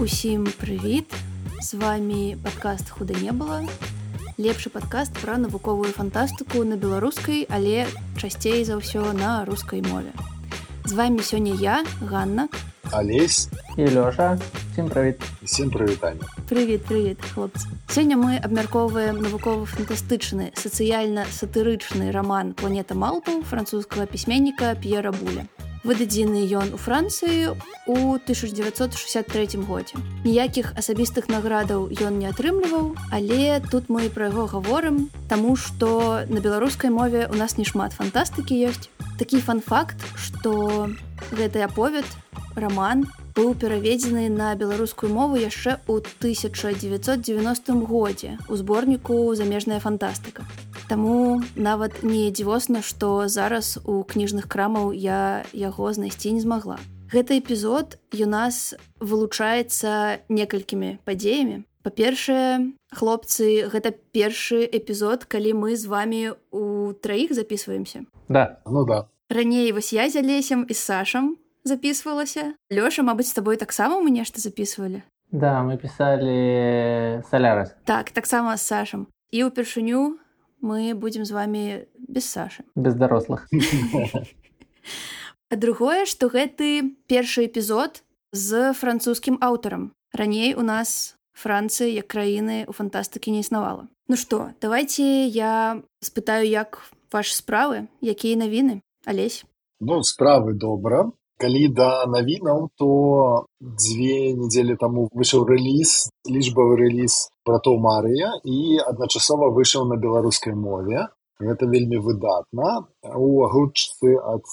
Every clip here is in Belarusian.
Усім прывіт! З вами падкаст «Худа не было». Лепшы падкаст пра навуковую фантастыку на беларускай, але часцей за ўсё на рускай мове. З вами сёння я, Ганна, Алесь і Лёша. Всім прывіт. Всім прывітанне. Прывіт, хлопцы. Сёння мы абмяркоўваем навукова-фантастычны, сацыяльна-сатырычны раман «Планета малпаў» французскага пісьменніка П'ера Буля. Выдадзены ён у Францыі ў 1963 годзе. Ніякіх асабістых наградаў ён не атрымліваў, але тут мы пра яго гаворым, таму што на беларускай мове у нас не шмат фантастыкі ёсць. Такі фан-факт, што гэты аповед, раман, быў пераведзены на беларускую мову яшчэ ў 1990 годзе ў зборніку «Замежная фантастыка». Таму нават не дзівосна, што зараз у кніжных крамаў я яго знайсці не змагла. Гэты эпізод у нас вылучаецца некалькімі падзеямі. Па-першае, хлопцы, гэта першы эпізод, калі мы з вамі у траіх записываемся. Да. Ну да. Раней вось я з Алесем і з Сашам записывалася. Лёша, мабыць, з табой таксама мы нешта записывалі? Да, мы пісалі «Солярис». Так, таксама з Сашам. І ўпершыню мы будзем з вами без Сашы. Без дарослых. А другое, што гэты першы эпізод з французскім аўтарам. Раней у нас Францыі як краіны ў фантастыкі не існавала. Ну што, давайте я спытаю, як вашы справы, якія навіны? Алесь? Ну, справы добра. Калі да навінаў, то 2 недзелі таму выйшаў рэліз, лічбавы рэліз «Братоў Марыя» і адначасова выйшаў на беларускай мове. Гэта вельмі выдатна. У агучцы ад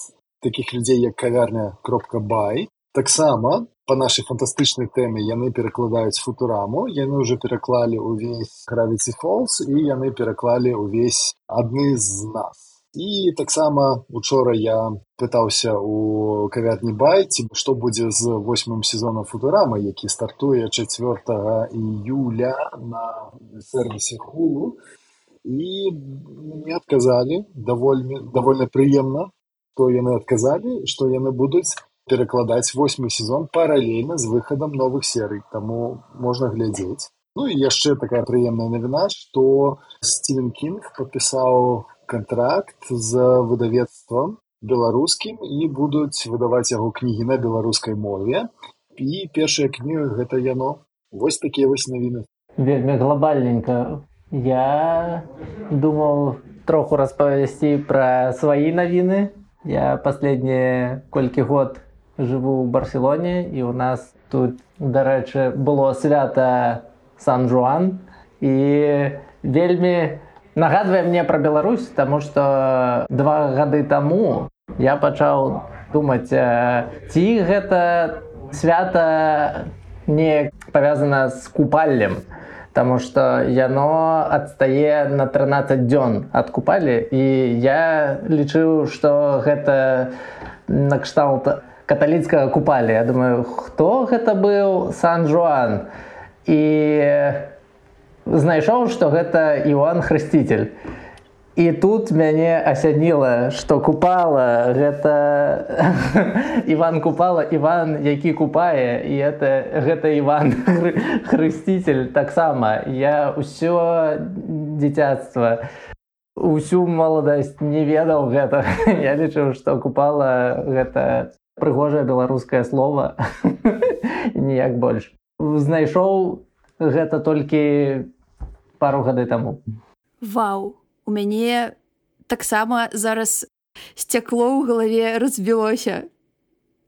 такіх людзей, як кавярня.бай. Таксама па нашай фантастычнай тэме яны перакладаюць «Футураму», яны ўжо пераклалі ўвесь «Gravity Falls» і яны пераклалі ўвесь «Адны з нас». І таксама учора я пытаўся у кавярні «Бай», што будзе з 8-м сезонам «Футурама», які стартуе 4 июля на сервісе Hulu. І мне адказалі, давольна прыемна, што яны адказалі, што яны будуць перакладаць 8-й сезон паралельна з выхадам новых серый, таму можна глядзець. Ну і яшчэ такая прыемная навіна, што Стівен Кінг падпісаў кантракт з выдавецтвам беларускім і будуць выдаваць яго кнігі на беларускай мове. І першая кніга гэта яно. Вось такія вось навіны. Вельмі глобальненька. Я думаў троху распавесці пра свае навіны. Я паследнія колькі год жыву ў Барселоне, і у нас тут, дарэчы, было свята Сан-Жуан, і вельмі нагадвае мне пра Беларусь, таму што 2 гады таму я пачаў думаць, ці гэта свята не павязана з купаллем, таму што яно адстае на 13 дзён ад купалі, і я лічыў, што гэта накшталт каталіцкага купалі. Я думаю, хто гэта быў Сан-Жуан? І знайшоў, што гэта Іоанн Хрысціцель. І тут мяне асяніла, што купала гэта Іван Купала, Іван, які купае, і гэта Іван Хрысціцель таксама. Я ўсё дзіцяцтва, усю маладасць не ведаў гэтага. Я лічыў, што купала гэта прыгожае беларускае слова, ніяк больш. Знайшоў гэта толькі пару гады таму. Вау! У мяне таксама зараз сцякло ў галаве разбілося.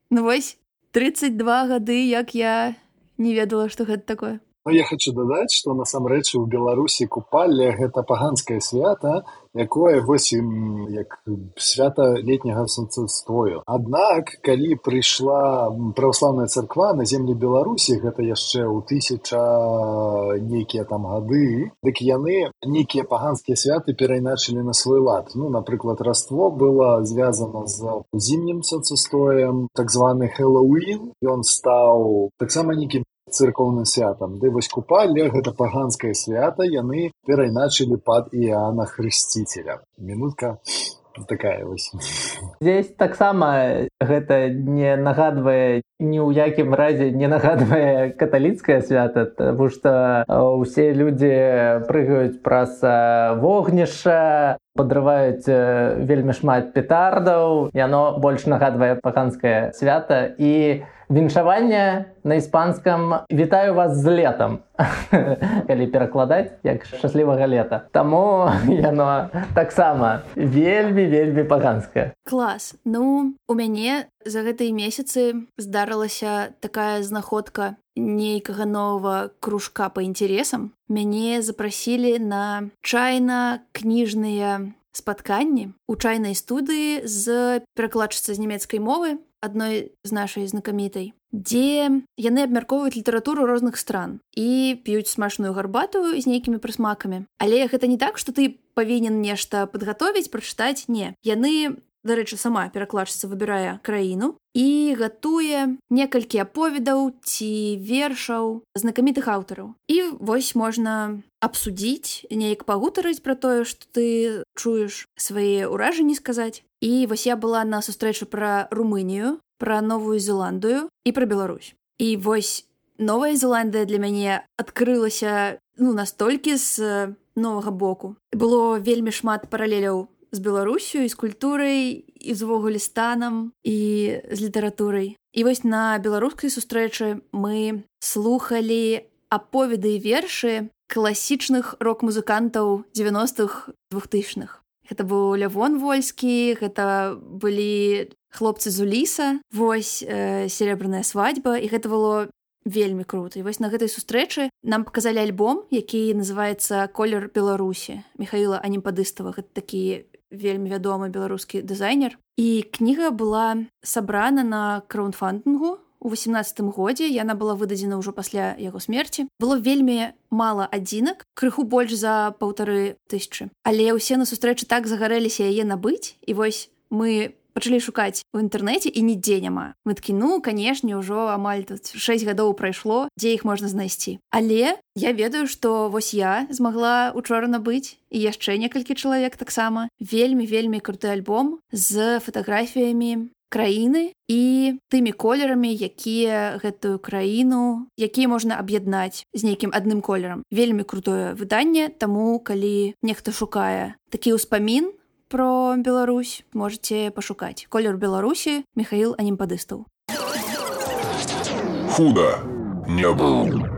Ну вось, 32 гады, як я не ведала, што гэта такое. Ну, я хочу дадаць, што насамрэч у Беларусі купалле гэта паганскае свята, якое вось як свята летняга сонцастою. Аднак, калі прыйшла праваслаўная царква на землі Беларусі, гэта яшчэ ў 1000 нейкія там гады, дык яны нейкія паганскія святы перайначылі на свой лад. Ну, напрыклад, Раство было звязана з зімнім сонцастоем, так званы Хэллоуін. Ён стаў таксама нейкім церковным святам. Ды вось купалле, гэта паганскае свята, яны перайначылі пад Іоанна Хрысціцеля. Мінутка такая вось. Здесь таксама гэта не нагадвае, ні ў якім разе не нагадвае каталіцкае свята, таму што ўсе людзі прыгаюць праз вогнішча, падрываюць вельмі шмат петардаў, яно больш нагадвае паганскае свята. І віншаванне на іспанскам «Вітаю вас з летам», калі перакладаць, як «Шчаслівага лета». Таму яно таксама вельмі паганскае. Клас. Ну, у мяне за гэтыя месяцы здарылася такая знаходка нейкага новага кружка па інтарэсам. Мяне запрасілі на чайна-кніжныя спатканні ў чайнай студыі з перакладчыцай з нямецкай мовы, адной з нашай знакамітай, дзе яны абмяркоўваюць літаратуру розных стран і п'юць смачную гарбату з нейкімі прысмакамі. Але гэта не так, што ты павінен нешта падгатовіць, прачытаць. Не. Яны, дарэчы, сама перакладчыца выбірае краіну і гатуе некалькі аповедаў ці вершаў знакамітых аўтараў. І вось можна абсудзіць, неяк пагутарыць пра тое, што ты чуеш, свае ўражанні сказаць. І вось я была на сустрэчы пра Румынію, пра Новую Зеландыю і пра Беларусь. І вось Новая Зеландыя для мяне адкрылася настолькі з новага боку. Было вельмі шмат паралеляў з Беларусю, і з культурай, і з увогуле станам, і з літаратурай. І вось на беларускай сустрэчы мы слухалі аповеды і вершы класічных рок-музыкантаў 90-х, 2000-х. Гэта быў Лявон Вольскі, гэта былі хлопцы з Уліса, вось «Серебряная свадьба», і гэта было вельмі крута. І вось на гэтай сустрэчы нам паказалі альбом, які называецца «Колер Беларусі» Михаіла Анімпадыстава. Гэта такі вельмі вядомы беларускі дызайнер. І кніга была сабрана на краундфандингу у 18-м годзе, яна была выдадзена ўжо пасля яго смерці. Было вельмі мала адзінак, крыху больш за 1500. Але ўсе на сустрэчы так загарэліся яе набыць, і вось мы пачалі шукаць у інтэрнэце, і нідзе няма. Мы такі, канешне, ўжо амаль тут 6 гадоў прайшло, дзе іх можна знайсці. Але я ведаю, што вось я змагла учора набыць, і яшчэ некалькі чалавек таксама. Вельмі круты альбом з фатаграфіямі краіны і тымі колерамі, якія гэтую краіну, якія можна аб'яднаць з нейкім адным колерам. Вельмі крутое выданне, таму калі нехта шукае такі ўспамін про Беларусь, можете пашукаць. «Колер Беларусі» Михаіл Анімпадыстаў. Худа не было.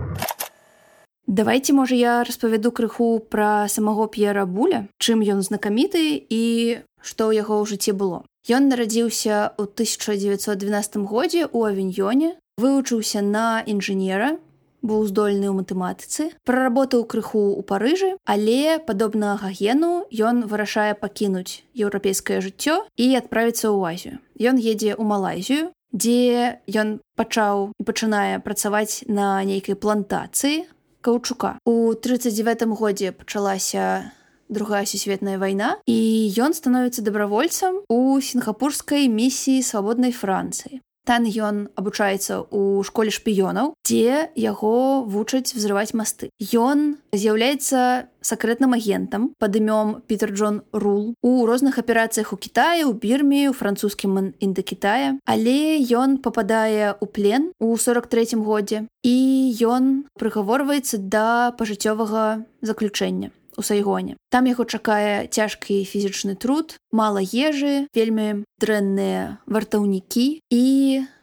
Давайте, можа, я распавяду крыху пра самого П'ера Буля, чым ён знакаміты і што ў яго ў жыцці было. Ён нарадзіўся ў 1912 годзе ў Авіньёне, вывучыўся на інжынера, быў здольны ў матэматыцы, праработаў крыху ў Парыжы, але, падобна Гагену, ён вырашае пакінуць еўрапейскае жыццё і адправіцца ў Азію. Ён едзе ў Малайзію, дзе ён пачаў і пачынае працаваць на нейкай плантацыі каўчука. У 1939 годзе пачалася Другая сусветная вайна, і ён становіцца дабравольцам у сінгапурскай місіі свабоднай Францыі. Там ён абучаецца ў школе шпіёнаў, дзе яго вучаць взрываць масты. Ён з'яўляецца сакрэтным агентам пад імём Пітер Джон Рул у розных аперацыях у Кітаі, у Бірме, у французскім Індакітае. Але ён пападае ў плен у 43-м годзе, і ён прыгаворваецца да пажыццёвага заключэння у Сайгоне. Там яго чакае цяжкі фізічны труд, мала ежы, вельмі дрэнныя вартаўнікі і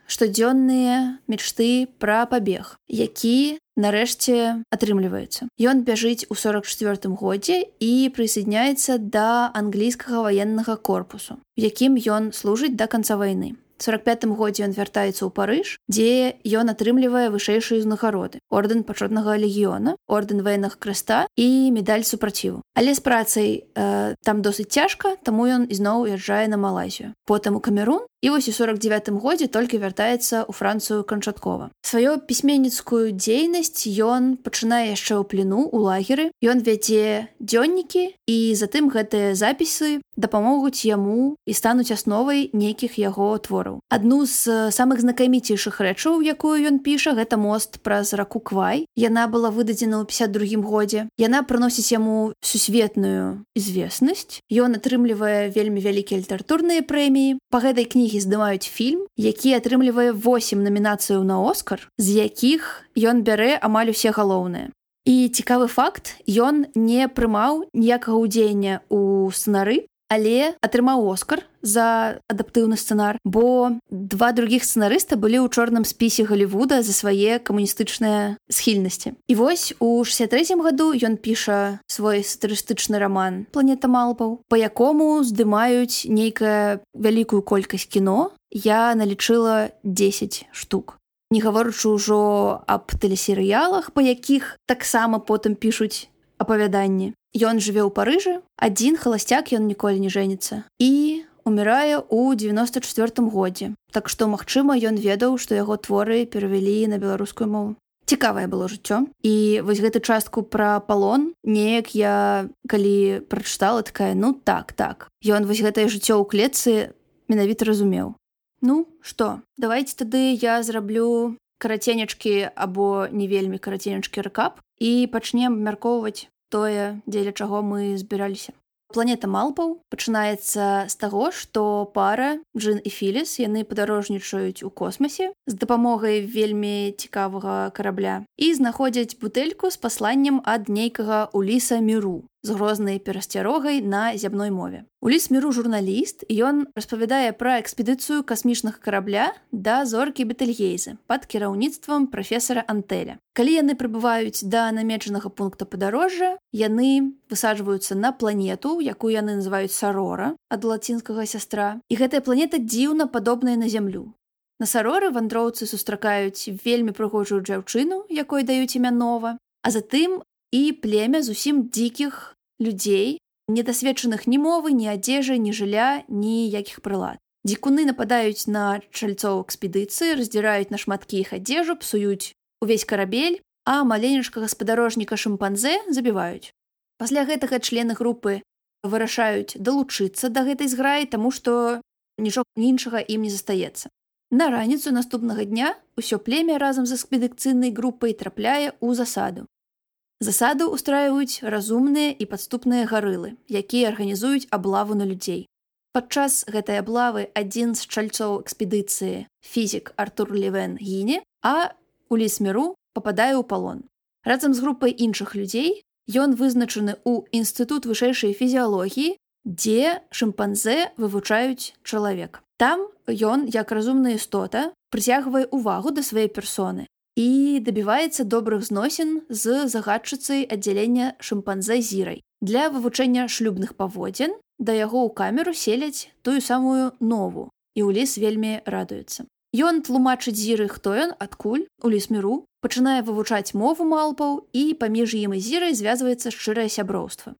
штодзённыя мечты пра пабег, які нарэшце атрымліваецца. Ён бяжыць у 44-м годзе і прысаадняецца да англійскага ваеннага корпусу, у якім ён служыць да канца вайны. У 45-м годзе ён вяртаецца ў Парыж, дзе ён атрымлівае вышэйшыя ўзнагароды: ордэн пачетнага легіёна, ордэн ваеннага крэста і медаль супраціву. Але з працай там досыць цяжка, таму ён ізноў уязджае на Малайзію. Потым у Камерун, і вось у 49-м годзе толькі вяртаецца ў Францыю канчаткова. Сваю пісьменніцкую дзейнасць ён пачынае яшчэ ў плену, у лагеры. Ён вядзе дзённікі, і затым гэтыя запісы дапамогуць яму і стануць асновай нейкіх яго твораў. твораў. Адну з самых знакаміцейшых рэчаў, якую ён піша, гэта мост праз раку Квай. Яна была выдадзена ў 52 годзе. Яна прыносіць яму сусветную известнасць. Ён атрымлівае вельмі вялікія літаратурныя прэміі. Па гэтай кнігі здымаюць фільм, які атрымлівае 8 намінацыяў на Оскар, з якіх ён бярэ амаль усе галоўныя. І цікавы факт, ён не прымаў ніякага ўдзеяння ў сцэнары, але атрымаў Оскар за адаптыўны сцэнар, бо 2 другіх сцэнарыста былі ў чорным спісе Галівуда за свае камуністычныя схільнасці. І вось у 63-м году ён піша свой сатырыстычны раман «Планета малпаў», па якому здымаюць нейкая вялікую колькасць кіно. Я налічыла 10 штук. Не гаворачы ўжо аб тэлесерыялах, па якіх таксама потым пішуць апавяданні. Ён жыве ў Парыжы, адзін халасцяк, ён ніколі не жэніцца. І умірае ў 94-м годзе. Так што, магчыма, ён ведаў, што яго творы перавялі на беларускую мову. Цікавае было жыццё. І вось гэту частку пра палон неяк я, калі прачытала, такая, ну так. Ён вось гэтае жыццё ў клетцы менавіта разумеў. Ну, што, давайце тады я зраблю караценечкі або не вельмі караценечкі рэкап і пачнем абмяркоўваць тое, дзеля чаго мы збіраліся. Планета малпаў пачынаецца з таго, што пара Джин і Філіс, яны падарожнічаюць у космасе з дапамогай вельмі цікавага карабля і знаходзяць бутэльку з пасланнем ад нейкага Уліса Міру з грознай перасцярогай на зямной мове. Уліс Міру журналіст, і ён распавядае пра экспедыцыю касмічнага карабля да зоркі Бетэльгейзе пад кіраўніцтвам прафесара Антэля. Калі яны прыбываюць да намечанага пункта падарожжа, яны высаджваюцца на планету, якую яны называюць Сарора, ад лацінскага сястра. І гэтая планета дзіўна падобная на зямлю. На Сароры вандроўцы сустракаюць вельмі прыгожую дзяўчыну, якой даюць імя Нова, а затым і племя зусім дзікіх людзей, недасведчаных ні мовы, ні адзежы, ні жылля, ніякіх прылад. Дзікуны нападаюць на чальцоў экспедыцыі, раздзіраюць на шматкі іх адзежу, псуюць увесь карабель, а маленечкага спадарожніка шымпанзэ забіваюць. Пасля гэтага члены групы вырашаюць далучыцца да гэтай зграі, таму што нічога іншага ім не застаецца. На раніцу наступнага дня ўсё племя разам з экспедыцыйнай групай трапляе ў засаду. Засаду ўстраююць разумныя і падступныя гарылы, якія арганізуюць аблаву на людзей. Падчас гэтай аблавы адзін з чальцоў экспедыцыі, фізік Артур Левен, гіне, а Уліс Міру пападае ў палон. Разам з групай іншых людзей ён вызначаны ў Інстытут вышэйшай фізіялогіі, дзе шымпанзэ вывучаюць чалавек. Там ён, як разумная істота, прыцягвае ўвагу да сваёй персоны і дабіваецца добрых зносін з загадчыцай аддзялення шымпанзэ Зірай. Для вывучэння шлюбных паводзін да яго ў камеру селяць тую самую Нову, і Уліс вельмі радуецца. Ён тлумачыць Зіры, хто ён, адкуль, Уліс Міру, пачынае вывучаць мову малпаў, і паміж ім і Зірай звязваецца шчырае сяброўства.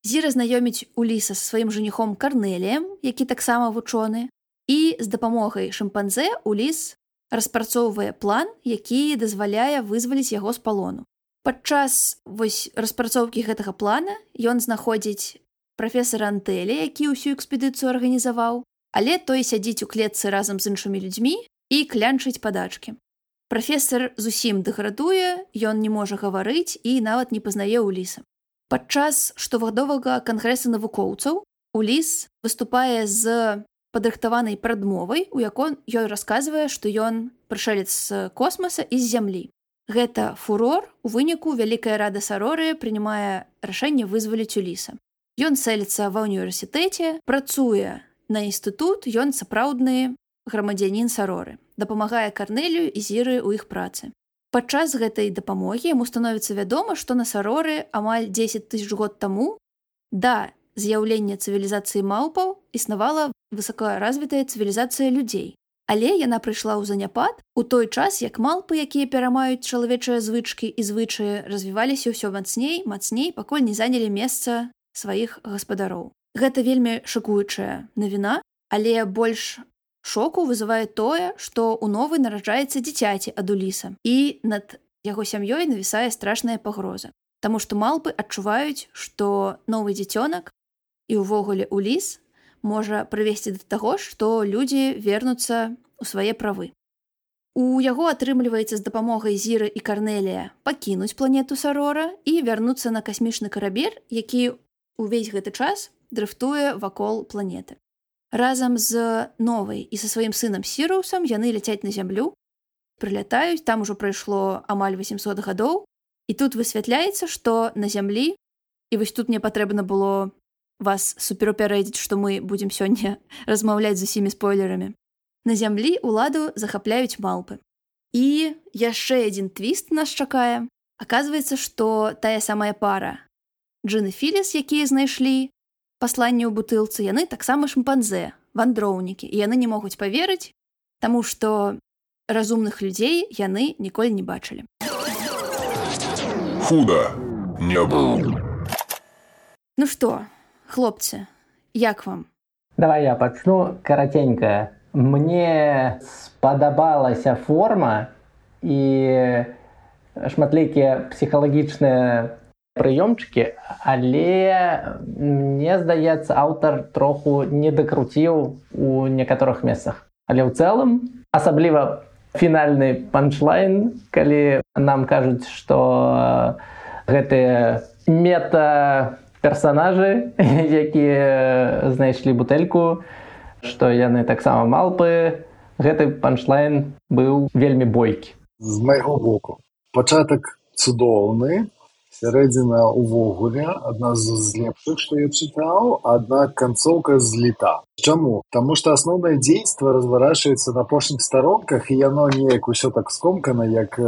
Зіра знаёміць Уліса са сваім жаніхом Карнеліем, які таксама вучоны, і з дапамогай шымпанзэ Уліс распрацоўвае план, які дазваляе вызваліць яго з палону. Падчас распрацоўкі гэтага плана ён знаходзіць прафесара Антэля, які ўсю экспедыцыю арганізаваў, але той сядзіць у клетцы разам з іншымі людзьмі і клянчыць падачкі. Прафесар зусім дэградуе, ён не можа гаварыць і нават не пазнае Уліса. Падчас штогадовага кангрэса навукоўцаў Уліс выступае з падрыхтаванай прадмовай, у якой ён расказвае, што ён прышэлец з космаса і з зямлі. Гэта фурор, у выніку вялікая рада Сароры прынимае рашэнне вызваліць Уліса. Ён селіцца ва ўніверсітэце, працуе на інстытут, ён сапраўдны грамадзянін Сароры, дапамагае Карнелію і Зіры ў іх працы. Падчас гэтай дапамогі яму становіцца вядома, што на Сароры амаль 10 000 год таму да з'яўлення цывілізацыі малпаў існавала высокаразвітая цывілізацыя людзей. Але яна прыйшла ў заняпад у той час, як малпы, якія перамаюць чалавечыя звычкі і звычаі, развіваліся ўсё мацней, пакуль не занялі месца сваіх гаспадароў. Гэта вельмі шакуючая навіна, але больш шоку вызывае тое, што ў Новы нараджаецца дзіцяці ад Уліса, і над яго сям'ёй навісае страшная пагроза. Таму што малпы адчуваюць, што новы дзіцёнак і ўвогуле Уліс можа прывесці да таго, што людзі вернуцца ў свае правы. У яго атрымліваецца з дапамогай Зіры і Карнелія пакінуць планету Сарора і вярнуцца на касмічны карабель, які ўвесь гэты час дрыфтуе вакол планеты. Разам з Новай і са сваім сынам Сірусам яны ляцяць на зямлю, прылятаюць, там ужо прайшло амаль 800 гадоў, і тут высвятляецца, што на зямлі, і вось тут мне патрэбна было вас суперупярэдзіць, што мы будзем сёння размаўляць з усімі спойлерамі. На зямлі ўладу захапляюць малпы. І яшчэ адзін твіст нас чакае. Аказваецца, што тая самая пара Джин і Філіс, якія знайшлі пасланне ў бутылцы, яны таксама шымпанзэ, вандроўнікі, і яны не могуць паверыць, таму што разумных людзей яны ніколі не бачылі. Худа не было. Ну што, хлопцы, як вам? Давай я пачну караценька. Мне спадабалася форма і шматлікія псіхалагічныя прыёмчыкі, але мне здаецца, аўтар троху не дакруціў у некаторых месцах. Але ў цэлым, асабліва фінальны панчлайн, калі нам кажуць, што гэтыя мета-персанажы, якія знайшлі бутэльку, што яны таксама малпы, гэты панчлайн быў вельмі бойкі. З майго боку. Пачатак цудоўны, сярэдзіна ўвогуле адна з лепшых, што я чытаў, аднак канцоўка зліта. Чаму? Таму што асноўнае дзейства разворачваецца на апошніх старонках, і яно неяк усё так скомкана, як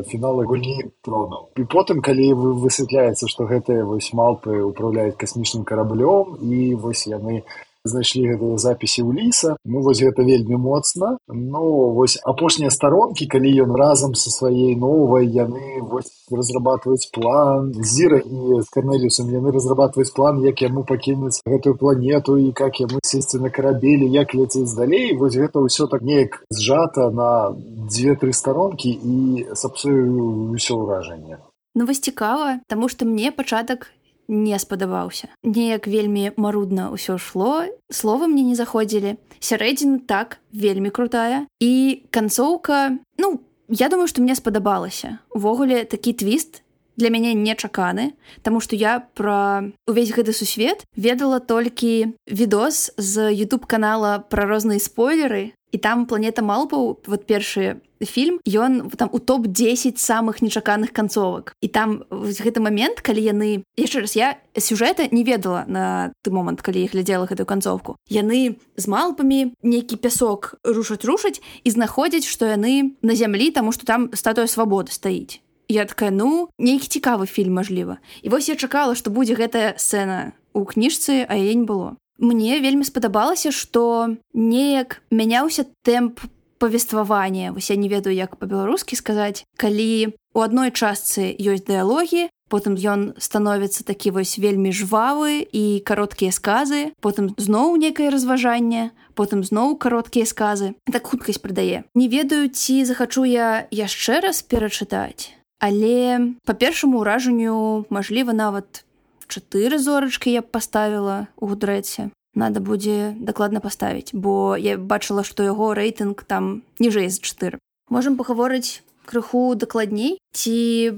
фіналы гульні тронаў. І потым, калі высвятляецца, што гэтыя вось малпы ўпраўляюць касмічным караблём, і вось яны знайшлі гэтыя запісы ў ліса, ну вось гэта вельмі моцна. Ну вось апошнія старонкі, калі ён разам са сваей новай, яны вось разрабатваюць план, Зіра і з Карнеліусам яны разрабатваюць план, як яму пакінуць гэтую планету і як яму сесці на карабелі, як ляцець далей. Вось гэта ўсё так неяк зжата на 2-3 старонкі і сапсуе ўсё ўражанне. Ну вось цікава, таму што мне пачатак не спадабаўся. Неяк вельмі марудна ўсё шло, словы мне не заходзілі. Сярэдзіна так, вельмі крутая. І канцоўка, ну, я думаю, што мне спадабалася. Увогуле, такі твіст для мяне нечаканы, таму што я пра увесь гэты сусвет ведала толькі відос з YouTube-канала пра розныя спойлеры, і там «Планета малпаў», вот першы фільм, ён там у топ-10 самых нечаканых канцовак. І там гэты момент, калі яны... Яшчэ раз, я сюжэта не ведала на той момант, калі я глядзела гэтую канцовку. Яны з малпамі нейкі пясок рушаць і знаходзяць, што яны на зямлі, таму што там статуя свабоды стаіць. Я такая, ну, нейкі цікавы фільм, мажліва. І вось я чакала, што будзе гэтая сцэна ў кніжцы, а яе не было. Мне вельмі спадабалася, што неяк мяняўся тэмп павествавання. Вось я не ведаю, як па-беларускі сказаць. Калі у адной частцы ёсць дыялогі, потым ён становіцца такі вось вельмі жвавы і кароткія сказы, потым зноў некае разважанне, потым зноў кароткія сказы. Так хуткасць прыдае. Не ведаю, ці захачу я яшчэ раз перачытаць, але па першаму ўражанню, мажліва, нават 4 зорачкі я б паставіла ў Гудрэдсе. Надо будзе дакладна паставіць, бо я бачыла, што яго рэйтынг там ніжэй за 4. Можам пагаворыць крыху дакладней, ці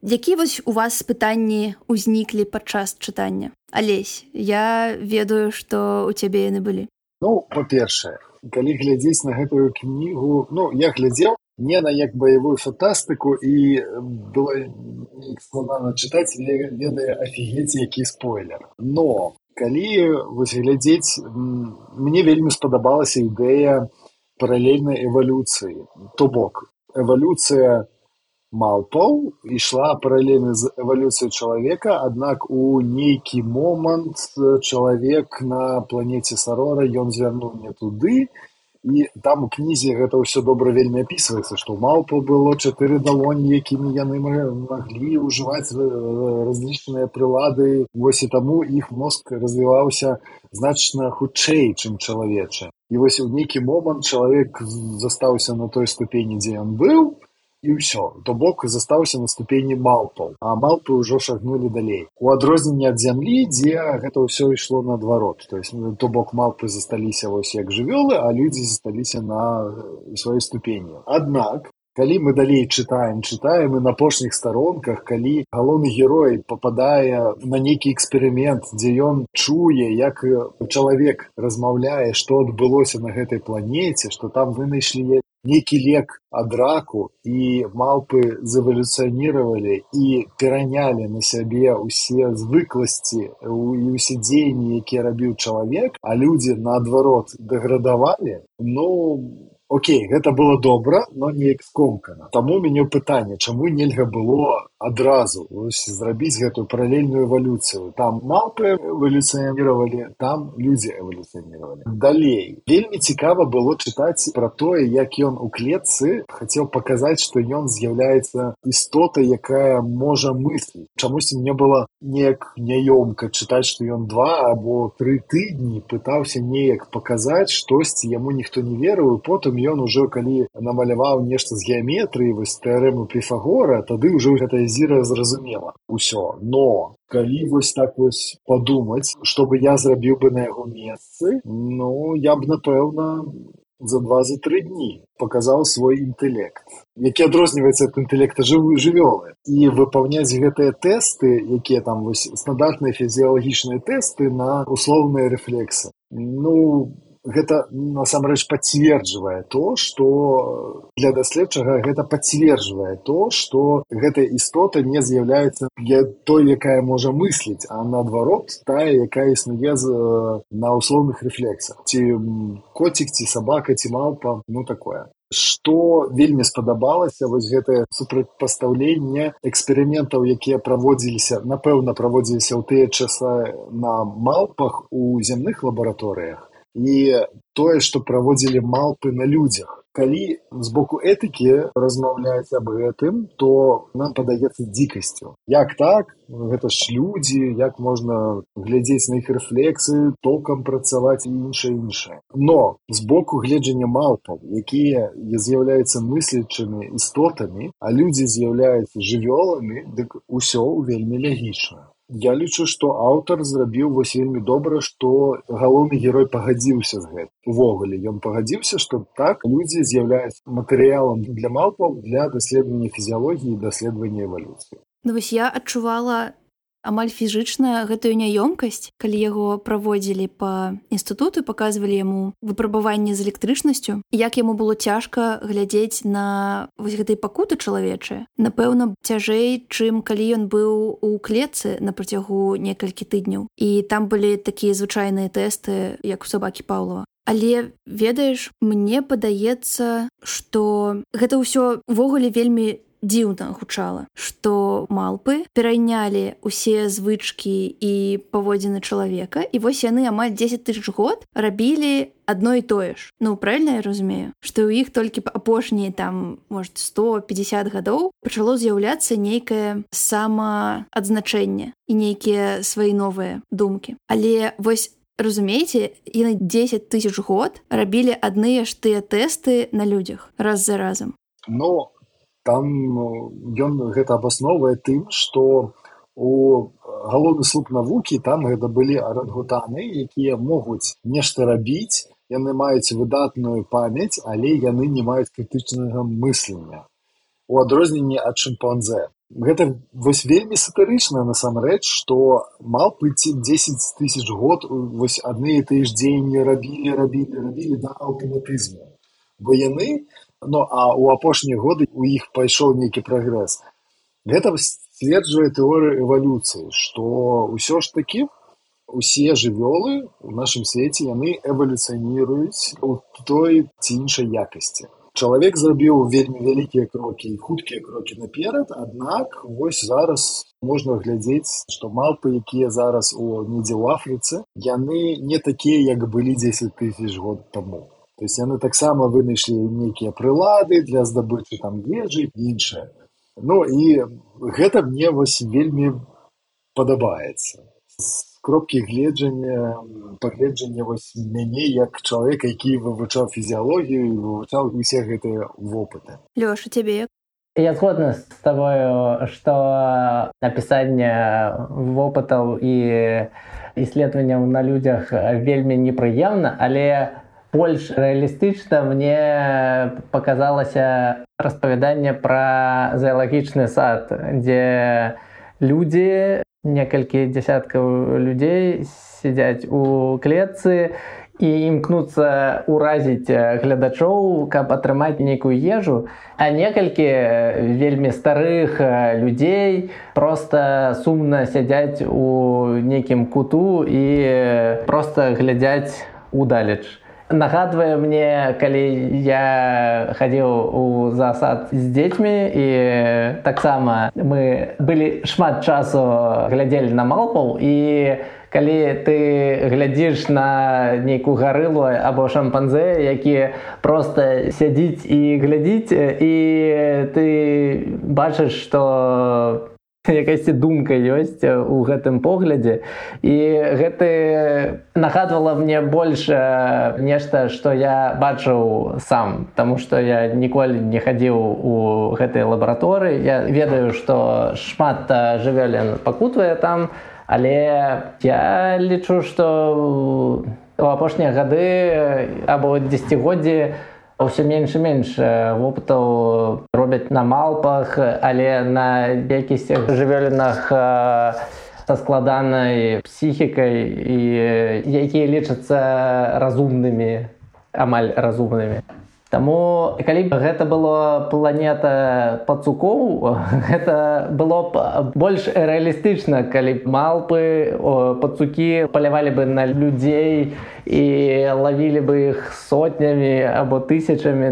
які вось у вас пытанні ўзніклі падчас чытання? Алесь, я ведаю, што ў цябе яны былі. Ну, па-першае, калі глядзець на гэтую кнігу, ну, я глядзеў не на як баявую фантастыку, і было складана чытаць, ведае афігець, які спойлер. Но калі вось глядзець, мне вельмі спадабалася ідэя паралельнай эвалюцыі. То бок, эвалюцыя малпаў ішла паралельна з эвалюцыяй чалавека, аднак у нейкі момант чалавек на планеце Сарора, ён звярнуў не туды, і там у кнізе гэта ўсё добра вельмі апісваецца, што ў малпаў было 4 далоні, якімі яны маглі ўжываць разлічныя прылады, вось і таму іх мозг развіваўся значна хутчэй, чым чалавечы. І вось у нейкі момант чалавек застаўся на той ступені, дзе ён быў, і ўсё. То бок застаўся на ступені малпаў, а малпы ўжо шагнулі далей. У адрозненне ад зямлі, дзе гэта ўсё ішло наадварот. То бок малпы засталіся вось як жывёлы, а людзі засталіся на сваёй ступені. Аднак, калі мы далей чытаем і на апошніх старонках, калі галоўны герой пападае на нейкі эксперымент, дзе ён чуе, як чалавек размаўляе, што адбылося на гэтай планеце, што там вынайшлі нейкі лек ад раку, і малпы завалюцыяніравалі і перанялі на сябе ўсе звыкласці і ўсе дзеянні, якія рабіў чалавек, а людзі, наадварот, дэградавалі, окей, гэта было добра, но неяк скомкана. Таму ў мяне пытанне, чаму нельга было адразу зрабіць гэтую паралельную эвалюцыю. Там малпы эвалюцыяніравалі, там людзі эвалюцыяніравалі. Далей. Вельмі цікава было чытаць пра тое, як ён у клетцы хацеў паказаць, што ён з'яўляецца істотай, якая можа мысліць. Чамусьці мне было неяк няёмка чытаць, што ён 2 або 3 тыдні пытаўся неяк паказаць штосьці, яму ніхто не верыў, і потым ён ужо, калі намаляваў нешта з геаметрыі, вось тэарэму Піфагора, тады ўжо гэтая зіра зразумела ўсё. Но калі вось так вось падумаць, што бы я зрабіў бы на яго месцы, я б, напэўна, за 2-3 дні паказаў свой інтэлект, які адрозніваецца ад інтэлекта жывёлы. І выпаўняць гэтыя тэсты, якія там вось стандартныя фізіялагічныя тэсты на услоўныя рэфлексы. Гэта насамрэч пацверджвае то, што для даследчага гэта пацверджвае то, што гэтая істота не з'яўляецца той, якая можа мысліць, а наадварот, тая, якая існуе на услоўных рэфлексах. Ці коцік, ці сабака, ці малпа, такое. Што вельмі спадабалася, вось гэтае супрацьпастаўленне эксперыментаў, якія напэўна, праводзіліся ў тыя часы на малпах у зямных лабараторыях, і тое, што праводзілі малпы на людзях. Калі з боку этыкі размаўляць аб гэтым, то нам падаецца дзікасцю. Як так? Гэта ж людзі, як можна глядзець на іх рэфлексы, токам працаваць і іншае. Но з боку гледжання малпаў, якія з'яўляюцца мыслячымі істотамі, а людзі з'яўляюцца жывёламі, дык усё вельмі лягічна. Я лічу, што аўтар зрабіў вось вельмі добра, што галоўны герой пагадзіўся з гэтым. Увогуле, ён пагадзіўся, што так, людзі з'яўляюцца матэрыялам для малпаў для даследавання фізіялогіі і даследавання эвалюцыі. Вось я адчувала амаль фізічна гэтую няёмкасць, калі яго праводзілі па інстытуту, паказвалі яму выпрабаванні з электрычнасцю, як яму было цяжка глядзець на вось гэтай пакуты чалавечыя. Напэўна, цяжэй, чым калі ён быў у клетцы на працягу некалькі тыдняў. І там былі такія звычайныя тэсты, як у сабакі Паўлава. Але, ведаеш, мне падаецца, што гэта ўсё ўвогуле вельмі дзіўна гучала, што малпы перайнялі ўсе звычкі і паводзіны чалавека, і вось яны амаль 10 000 год рабілі адно і тое ж. Правильна я разумею? Што ў іх толькі апошнія там, может, 150 гадоў пачало з'яўляцца нейкае самаадзначэнне і нейкія свае новыя думкі. Але вось, разумееце, яны 10 000 год рабілі адныя ж тыя тэсты на людзях раз за разам. Там ён гэта абасноўвае тым, што у галоўны слуп навукі там гэта былі арангутаны, якія могуць нешта рабіць, яны маюць выдатную памяць, але яны не маюць крытычнага мыслення. У адрозненні ад шымпанзэ. Гэта вось вельмі сатырычна насамрэч, што малпы 10 000 год вось адны і тыя ж дзеянні рабілі да аўтаматызму. Бо яны, а ў апошнія годы у іх пайшоў нейкі прагрэс. Гэта сцверджвае тэорыя эвалюцыі, што ўсё ж такі усе жывёлы ў нашым свеце, яны эвалюцыяніруюць у той ці іншай якасці. Чалавек зрабіў вельмі вялікія крокі і хуткія крокі наперад, аднак вось зараз можна глядзець, што малпы, якія зараз недзе ў Афрыцы, яны не такія, як былі 10 000 год таму. То есть яны таксама вынайшлі нейкія прылады для здабычы там ежы і іншае. І гэта мне вось вельмі падабаецца. З кропкі пагледжання вось мяне як чалавека, які вывучаў фізіялогію і вывучаў усе гэтыя вопыты. Лёша, цябе як? Я згодна з тобою, што напісанне вопытаў і исследаванняў на людзях вельмі непрыемна, але больш рэалістычна мне паказалася распавяданне пра заалагічны сад, дзе людзі, некалькі дзясяткаў людзей сядзяць у клетцы і імкнуцца ўразіць гледачоў, каб атрымаць нейкую ежу, а некалькі вельмі старых людзей проста сумна сядзяць у нейкім куту і проста глядзяць удалеч. Нагадвае мне, калі я хадзіў у зоосад з дзецьмі, і таксама мы былі шмат часу глядзелі на малпаў, і калі ты глядзіш на нейкую гарылу або шампанзе, які проста сядзіць і глядзіць, і ты бачыш, што якасьці думка ёсць у гэтым поглядзе, і гэта нагадвала мне больш нешта, што я бачыў сам, таму што я ніколі не хадзіў у гэтай лабараторыі. Я ведаю, што шмат жывёлін пакутвае там, але я лічу, што у апошнія гады або дзесяцігоддзі ўсё менш і менш вопытаў робяць на малпах, але на якісь жывёлінах са складанай псіхікай, і якія лічацца разумнымі, амаль разумнымі. Таму, калі б гэта была планета пацукоў, гэта было б больш рэалістычна, калі б малпы, пацукі палявалі бы на людзей і лавілі бы іх сотнямі або тысячамі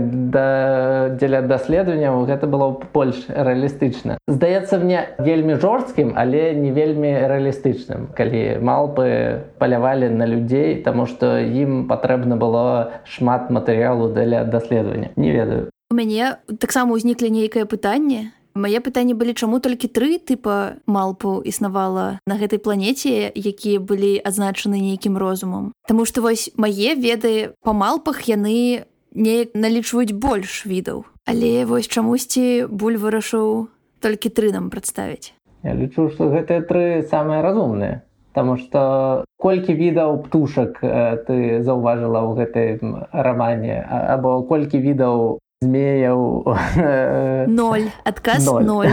дзеля даследаванняў, гэта было б больш рэалістычна. Здаецца мне вельмі жорсткім, але не вельмі рэалістычным, калі малпы палявалі на людзей, таму што ім патрэбна было шмат матэрыялу для даследавання. Не ведаю. У мяне таксама ўзніклі нейкае пытанне. Мае пытанні былі, чаму толькі 3 тыпа малпаў існавала на гэтай планеце, якія былі адзначаны нейкім розумам. Таму што вось мае веды па малпах яны неяк налічваюць больш відаў. Але вось чамусьці Буль вырашыў толькі 3 нам прадставіць. Я лічу, што гэтыя 3 самыя разумныя. Таму што колькі відаў птушак ты заўважыла ў гэтым рамане, або колькі відаў змеяў? 0. Адказ 0.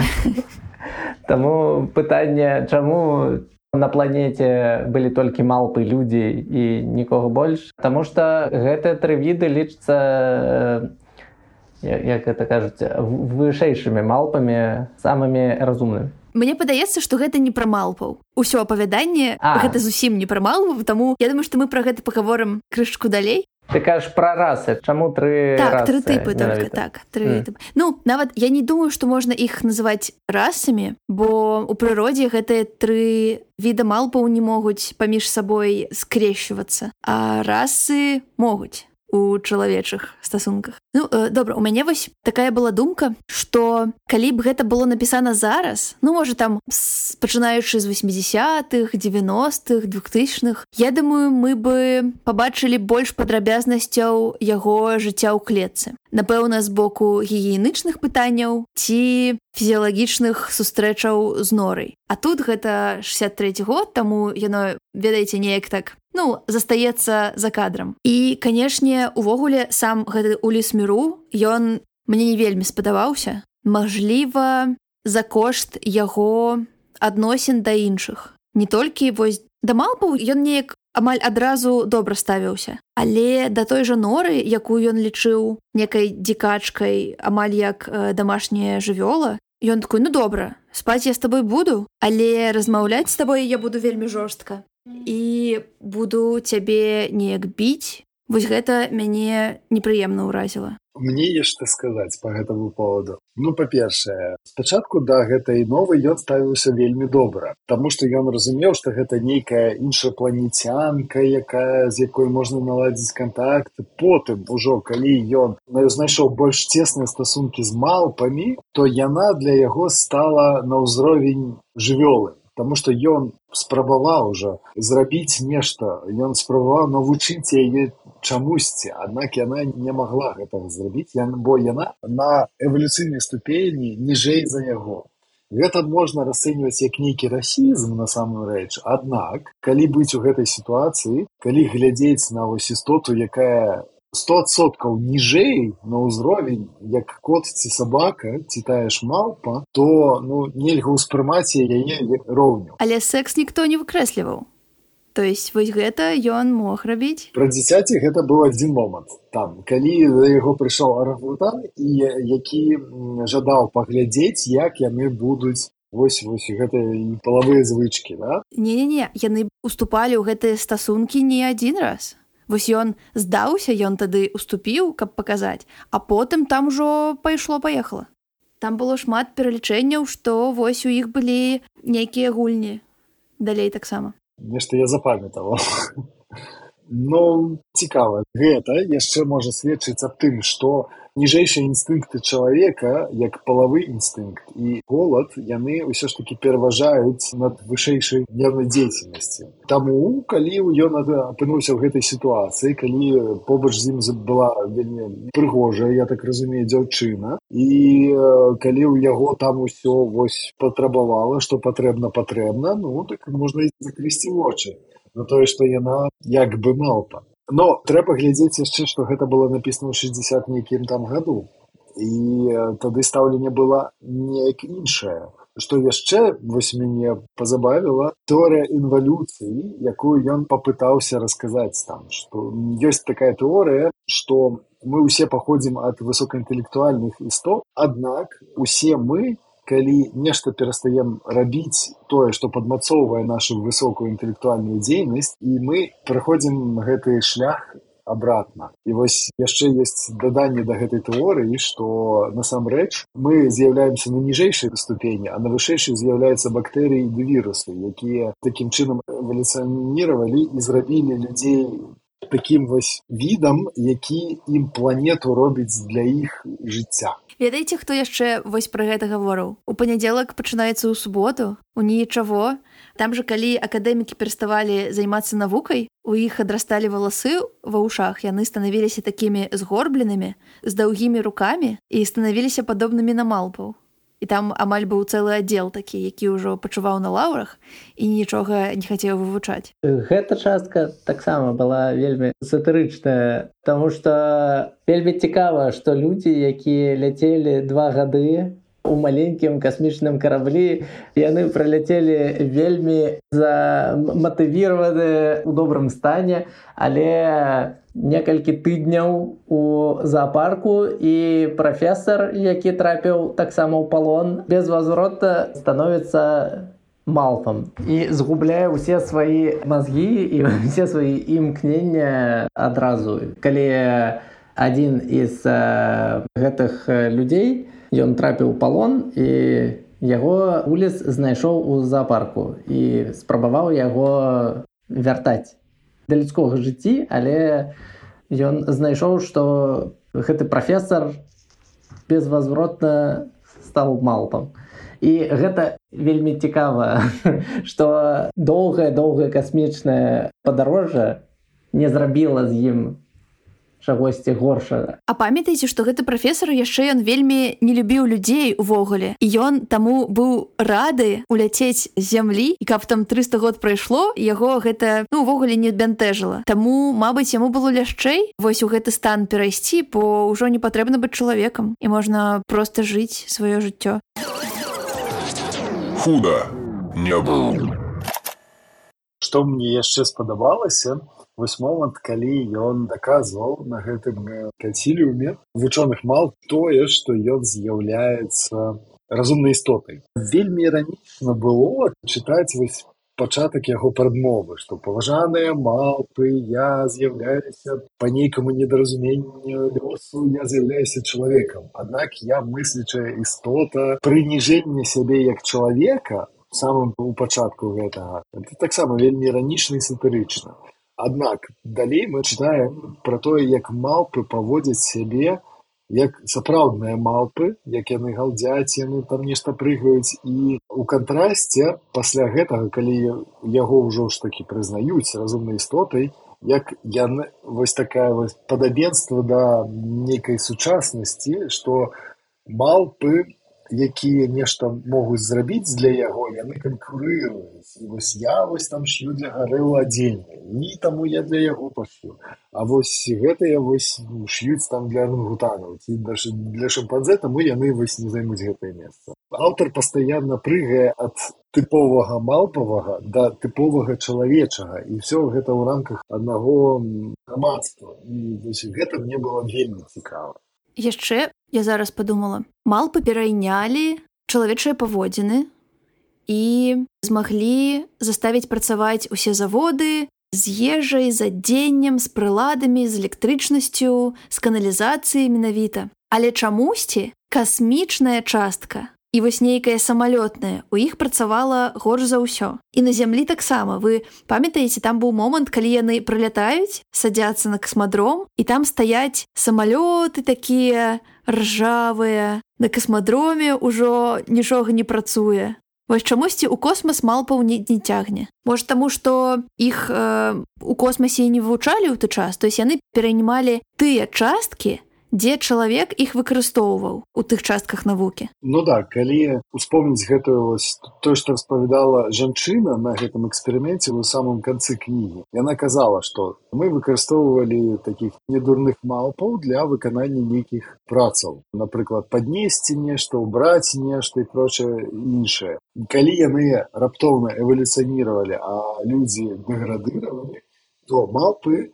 Таму пытанне, чаму на планеце былі толькі малпы, людзі і нікога больш? Таму што гэтыя 3 віды лічацца, як гэта кажуць, вышэйшымі малпамі, самымі разумнымі. Мне падаецца, што гэта не пра малпаў. Усё апавяданне гэта зусім не пра малпаў, таму я думаю, што мы пра гэта пагаворым крышачку далей. Ты кажаш пра расы. Чаму 3 так, расы? 3 тыпы только, так. 3 тыпы. Ну, нават я не думаю, што можна іх называць расамі, бо ў прыродзе гэтыя 3 віда малпаў не могуць паміж сабой скрещвацца, а расы могуць у чалавечых стасунках. Ну, добра, у мяне вось такая была думка, што калі б гэта было напісана зараз, ну, можа, там, пачынаючы з 80-х, 90-х, 2000-х, я думаю, мы бы пабачылі больш падрабязнасцяў яго жыцця ў клетцы. Напэўна, з боку гігіенічных пытанняў ці фізіялагічных сустрэчаў з норай. А тут гэта 63-й год, таму яно, ведаеце, неяк так, ну, застаецца за кадрам. І, канешне, увогуле, сам гэты Уліс Міру, ён мне не вельмі спадабаўся. Мажліва, за кошт яго адносін да іншых. Не толькі, вось, да малпаў ён неяк амаль адразу добра ставіўся. Але да той жа норы, якую ён лічыў некай дзікачкай, амаль як дамашняя жывёла, ён такой, ну добра, спаць я з табой буду, але размаўляць з табой я буду вельмі жорстка. І буду цябе неяк біць. Вось гэта мяне непрыемна ўразіла. Мне ёсць што сказаць па гэтаму поводу. Ну, па-першае, спачатку да гэтай новай ён ставіўся вельмі добра, таму што ён разумеў, што гэта нейкая іншапланецянка, з якой можна наладзіць кантакт. Потым, ужо калі ён знайшоў больш цесныя стасункі з малпамі, то яна для яго стала на ўзровень жывёлы. Таму што ён спрабаваў ужо зрабіць нешта, ён спрабаваў навучыць яе чамусьці, аднак яна не магла гэтага зрабіць, бо яна на эвалюцыйнай ступені ніжэй за яго. Гэта можна расцэньваць як нейкі расізм насамрэч, аднак, калі быць у гэтай сітуацыі, калі глядзець на вось істоту, якая 100% ніжэй на ўзровень, як кот ці сабака, ці тая ж малпа, то нельга ўспрымаць яе роўню. Але секс ніхто не выкрэсліваў. То есть вось гэта ён мог рабіць? Пра дзіцяці гэта быў адзін момант. Там, калі да яго прыйшоў арангутан, які жадаў паглядзець, як яны будуць вось гэтыя палавыя звычкі, да? Не-не-не, яны уступалі ў гэтыя стасункі не адзін раз. Вось ён здаўся, ён тады уступіў, каб паказаць, а потым там ужо пайшло-паехала. Там было шмат пералічэнняў, што вось у іх былі нейкія гульні. Далей таксама. Нешта я запамятаваў. Цікава. Гэта яшчэ можа сведчыць аб тым, што ніжэйшыя інстынкты чалавека, як палавы інстынкт і голад, яны ўсё ж такі пераважаюць над вышэйшай нервнай дзейнасцю. Таму, калі ён апынуўся ў гэтай сітуацыі, калі побач з ім была вельмі прыгожая, я так разумею, дзяўчына, і калі ў яго там усё патрабавала, што патрэбна, так можна і закрысці вочы на тое, што яна як бы малпа. Но трэба глядзець яшчэ, што гэта было напісана ў 60 нейкім там году. І тады стаўленне было неяк іншае. Што яшчэ мяне пазабавіла тэорыя інвалюцыі, якую ён папытаўся расказаць там. Што ёсць такая тэорыя, што мы ўсе паходзім ад высокаінтэлектуальных істот, аднак усе мы, калі нешта перастаем рабіць тое, што падмацоўвае нашу высокую інтэлектуальную дзейнасць, і мы праходзім гэты шлях абратна. І вось яшчэ ёсць даданне да гэтай тэорыі, што насамрэч мы з'яўляемся на ніжэйшай ступені, а на вышэйшай з'яўляюцца бактэрыі і вірусы, якія такім чынам эвалюцыяніравалі і зрабілі людзей такім відам, які ім планету робіць для іх жыцця. Ведаеце, хто яшчэ пра гэта гаворыў? У панядзелак пачынаецца ў суботу, у нічаго. Там жа, калі акадэмікі пераставалі займацца навукай, у іх адрасталі валасы ва ўшах, яны станавіліся такімі згорбленымі, з даўгімі рукамі і станавіліся падобнымі на малпаў. І там амаль быў цэлы аддзел такі, які ўжо пачуваў на лаўрах і нічога не хацеў вывучаць. Гэта частка таксама была вельмі сатырычная, таму што вельмі цікава, што людзі, якія ляцелі 2 гады у маленькім касмічным караблі, яны праляцелі вельмі заматывіраваныя ў добрым стане, але некалькі тыдняў у заапарку і прафесар, які трапіў таксама ў палон, безвазвротна становіцца малпам і згубляе ўсе свае мазгі і ўсе свае імкнення адразу. Калі адзін з гэтых людзей, ён трапіў у палон і яго улис знайшоў у заапарку і спрабаваў яго вяртаць да людскога жыцці, але ён знайшоў, што гэты прафесар безвазвротна стаў малпам. І гэта вельмі цікава, што доўгае касмічнае падарожжа не зрабіла з ім чагосьці горшага. А памятаеце, што гэты прафесар яшчэ ён вельмі не любіў людзей увогуле. І ён таму быў рады уляцець з зямлі, і каб там 300 год прайшло, яго гэта увогуле не бянтэжыла. Таму, мабыць, яму было лягчэй вось у гэты стан перайсці, бо ўжо не патрэбна быць чалавекам, і можна проста жыць сваё жыццё. Худа не быў. Што мне яшчэ спадабалася, вось момант, калі ён даказваў на гэтым кансіліуме вучоных малп тое, што ён з'яўляецца разумнай істотай. Вельмі іранічна было чытаць вось пачатак яго прадмовы, што паважаныя малпы, я з'яўляюся па нейкаму недаразуменню лёсу, я з'яўляюся чалавекам. Аднак я мыслячая істота, прыніжэнне сябе як чалавека самым у пачатку гэтага, это таксама вельмі іранічна і сатырычна. Аднак далей мы чытаем пра тое, як малпы паводзяць сябе як сапраўдныя малпы, як яны галдзяць, яны там нешта прыгаюць. І ў кантрасце пасля гэтага, калі яго ўжо ж такі прызнаюць разумнай істотай, як яны, вось такая вось падабенства да нейкай сучаснасці, што малпы, якія нешта могуць зрабіць для яго, яны канкурыруюць. І вось я вось там шью для Гарэлу адзенне, і таму я для яго пашью. А вось гэтыя вось шьюць там для арангутанаў ці для шымпанзэ, таму яны вось не займуць гэтае месца. Аўтар пастаянна прыгае ад тыповага малпавага да тыповага чалавечага, і ўсё гэта ў рамках аднаго грамадства. І вось гэта мне было вельмі цікава. Яшчэ я зараз падумала, малпы перайнялі чалавечыя паводзіны і змаглі заставіць працаваць усе заводы з ежай, з адзеннем, з прыладамі, з электрычнасцю, з каналізацыяй менавіта. Але чамусьці касмічная частка і вось нейкая самалётная у іх працавала горш за ўсё. І на зямлі таксама. Вы памятаеце, там быў момант, калі яны прылятаюць, садзяцца на касмадром, і там стаяць самалёты такія ржавыя. На касмадроме ўжо нічога не працуе. Вось чамусьці ў космас малпаў не цягне. Можа, таму, што іх у космасе не вывучалі ў той час, то есть яны перанімалі тыя часткі, дзе чалавек іх выкарыстоўваў у тых частках навукі. Ну да, калі успомніць гэтую вось тое, што распавядала жанчына на гэтым эксперыменце ў самым канцы кнігі. Яна казала, што мы выкарыстоўвалі такіх недурных малпаў для выканання нейкіх працаў. Напрыклад, паднесці нешта, убраць нешта і прочае іншае. Калі яны раптоўна эвалюцыяніравалі, а людзі дэградыравалі, то малпы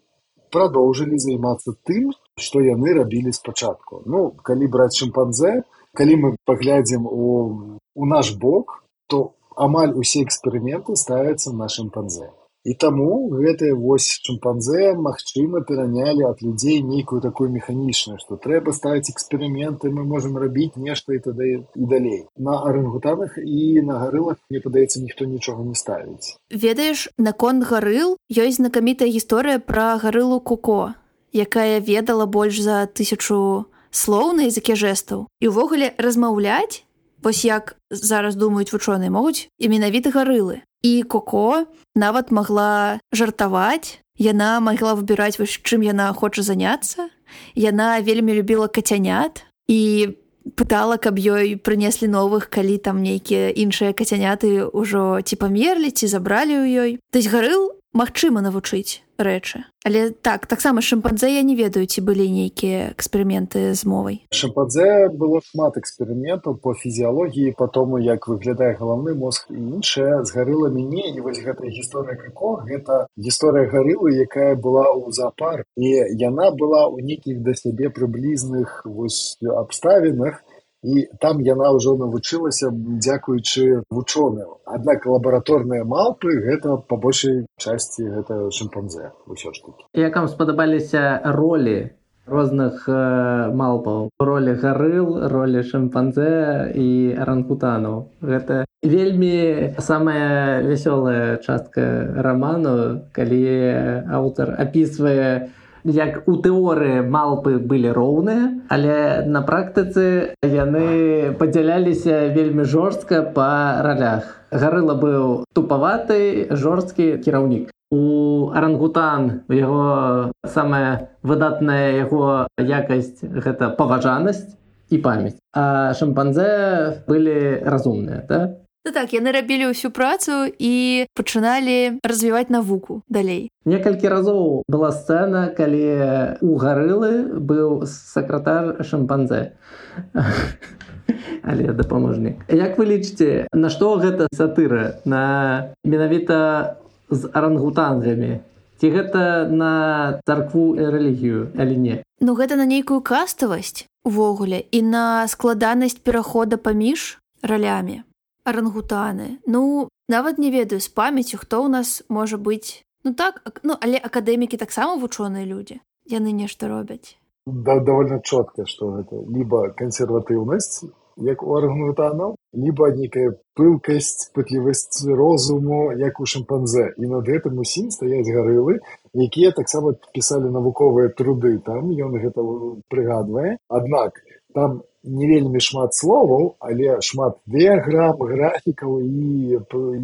продолжили займацца тым, што яны рабілі спачатку. Ну, калі браць шымпанзэ, калі мы паглядзім у наш бок, то амаль усе эксперыменты ставяцца на шымпанзэ. І таму гэтыя вось шымпанзэ, магчыма, перанялі ад людзей нейкую такую механічную, што трэба ставіць эксперыменты, мы можам рабіць нешта і тады і далей. На арангутанах і на гарылах, мне падаецца, ніхто нічога не ставіць. Ведаеш, наконт гарыл ёсць знакамітая гісторыя пра гарылу Коко, якая ведала больш за 1000 слоў на языке жэстаў. І ўвогуле размаўляць, вось як зараз думаюць вучоныя, могуць і менавіта гарылы. І Коко нават магла жартаваць, яна магла выбіраць, вось чым яна хоча заняцца. Яна вельмі любіла кацянят і пытала, каб ёй прынеслі новых, калі там нейкія іншыя кацяняты ўжо ці памерлі, ці забралі ў ёй. То есть гарыл магчыма навучыць рэчы. Але таксама шымпанзэ я не ведаю, ці былі нейкія эксперыменты з мовай. Шымпанзэ было шмат эксперыментаў по фізіялогіі, по тому, як выглядае галаўны мозг і іншае. З гарыламі не. І вось гэтая гісторыя Коко, гэта гісторыя гарылы, якая была ў зоапарку. І яна была ў нейкіх да сябе прыблізных вось абставінах, і там яна ўжо навучылася дзякуючы вучоным. Аднак лабараторныя малпы гэта па большай часці гэта шымпанзэ ўсё ж такі. Як вам спадабаліся ролі розных малпаў? Ролі гарыл, ролі шымпанзэ і арангутанаў. Гэта вельмі самая вясёлая частка раману, калі аўтар апісвае, як у тэорыі малпы былі роўныя, але на практыцы яны падзяляліся вельмі жорстка па ролях. Гарыла быў тупаваты, жорсткі кіраўнік. У арангутан яго самая выдатная яго якасць гэта паважанасць і памяць. А шымпанзэ былі разумныя, так? Ну так, яны рабілі ўсю працу і пачыналі развіваць навуку далей. Некалькі разоў была сцэна, калі у гарылы быў сакратар шымпанзэ. Але дапаможнік. Як вы лічыце, на што гэта сатыра? На менавіта з арангутангамі? Ці гэта на царкву і рэлігію, алі не? Ну гэта на нейкую каставасць увогуле і на складанасць перахода паміж ралямі. Арангутаны. Ну, нават не ведаю з памяццю, хто ў нас можа быць. Ну так, але акадэмікі таксама вучоныя людзі. Яны нешта робяць. Довольно чётка, што гэта либо кансерватыўнасць, як у арангутанаў, либо нейкая пылкасць, пытлівасць розуму, як у шымпанзе. І над гэтым усім стаяць гарылы, якія таксама пісалі навуковыя труды. Там ён гэта прыгадвае. Аднак там не вельмі шмат словаў, але шмат дыяграм, графікаў і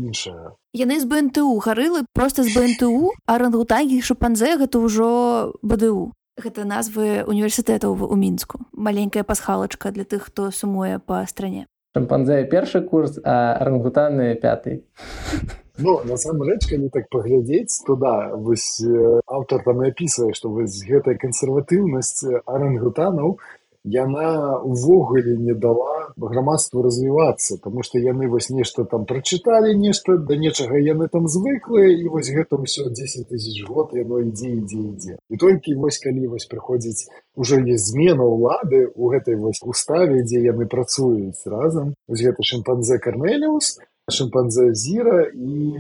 іншага. Яны з БНТУ, гарылы проста з БНТУ, а арангутангі і шымпанзе гэта ўжо БДУ. Гэта назвы універсітэтаў у Мінску. Маленькая пасхалачка для тых, хто сумуе па стране. Шымпанзе першы курс, а арангутаны пяты. Ну, насамрэч, калі так паглядзець, то да, вось аўтар там і апісвае, што вось гэтая кансерватыўнасць арангутанаў, яна увогуле не дала грамадству развівацца, таму што яны вось нешта там прачыталі, нешта, да нечага яны там звыклыя, і вось гэта ўсё 10 000 год, яно ідзе. І толькі вось калі вось прыходзіць, ужо ёсць змена ўлады ў гэтай вось уставе, дзе яны працуюць разам, вось гэта шымпанзе Карнеліус, шымпанзе Зіра і